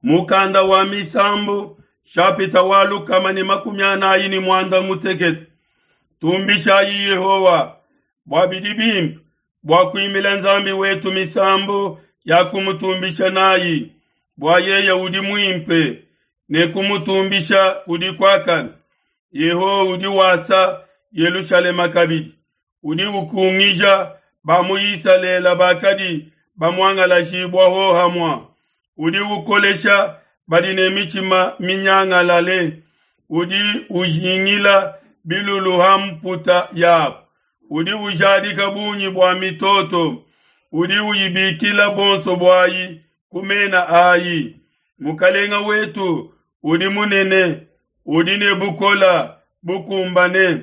Mukanda wa Misambu, shapita wa 146. Tumbishayi Yehowa bua bidi bimpe, bua kuimbila Nzambi wetu misambu ya kumutumbisha nayi, bua yeye udi muimpe, ne kumutumbisha kudi kuakane. Yehowa udi wasa Yelushalema kabidi, udi ukungija ba mu Isalele bakadi bamuangalajibua hohamua, udi ukolesha badi ne mitshima minyangalale, udi ujingila bilulu ha mputa yabo, udi ujadika bungi bua mitoto, udi uyibikila bonso buayi ku mena ayi. Mukalenga wetu udi munene, udi ne bukola bukumbane.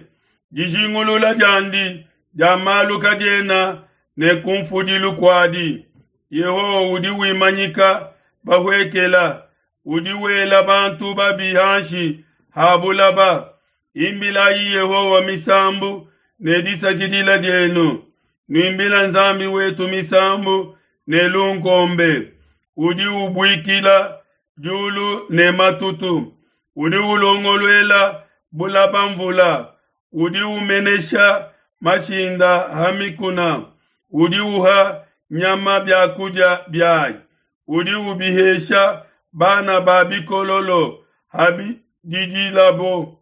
Dijingulula diandi dia malu kadiena ne kumfudilu kuadi. Yehowa udi wimanyika bahuekela, udi wela bantu babi hanshi ha bulaba. Imbilayi Yehowa misambu ne disakidila dienu, nuimbila Nzambi wetu misambu ne lunkombe. Udi ubuikila diulu ne matutu, udi ulongoluela bulaba mvula, udi umenesha mashinda ha mikuna, udi uha nyama biakudia biayi, udi ubihesha bana ba bikololo habididilabo.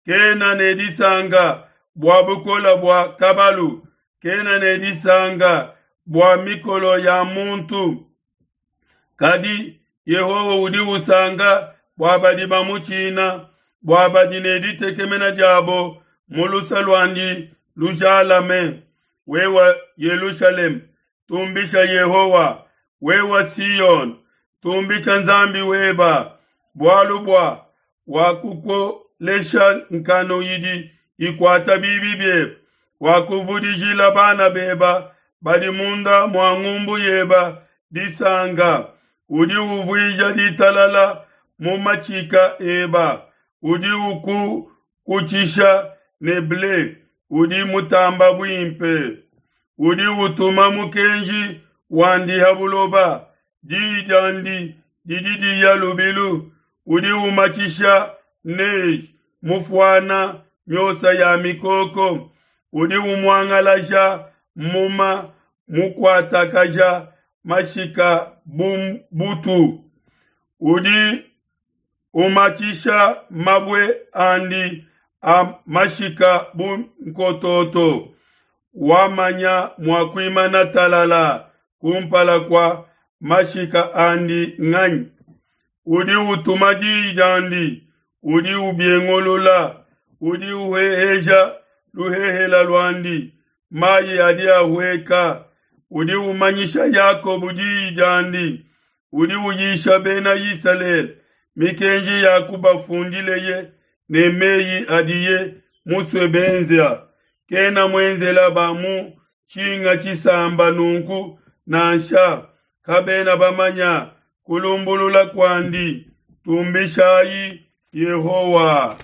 Kena ne disanka bua bukole bua kabalu, kena ne disanka bua mikolo ya muntu. Kadi Yehowa udi usanka bua badi bamutshina, bua badi ne ditekemena diabo mu luse luandi lujalame. Wewe Yelushalema, tumbisha Yehowa! Wewe Siyone, tumbisha Nzambi weba! Bualu bua wakukolesha nkanu idi ikuata bibi biebe, wakuvudijila bana beba badi munda mua ngumbu yeba disanka. Udi uvuija ditalala mu matshika eba, udi ukukutshisha ne ble udi mutamba buimpe. Udi utuma mukenji wandi ha buloba, diyi diandi didi diya lubilu. Udi umatshisha neige mufuana miosa ya mikoko, udi umuangalaja muma mukuatakaja mashika bu butu. Udi umatshisha mabue andi a mashika bu nkototo. Wamanya mua kuimana talala kumpala kua mashika andi nganyi? Udi utuma diyi diandi, udi ubiengulula, udi uheheja luhehela luandi, mayi adi ahueka. Udi umanyisha Yakobo diyi diandi, udi uyisha bena Isalele mikenji ya kubafundileye ne meyi adiye musue benza. Kena muenzela ba mu tshinga tshisamba nunku nansha, kabena bamanya kulumbulula kuandi. Tumbishayi Yehowa!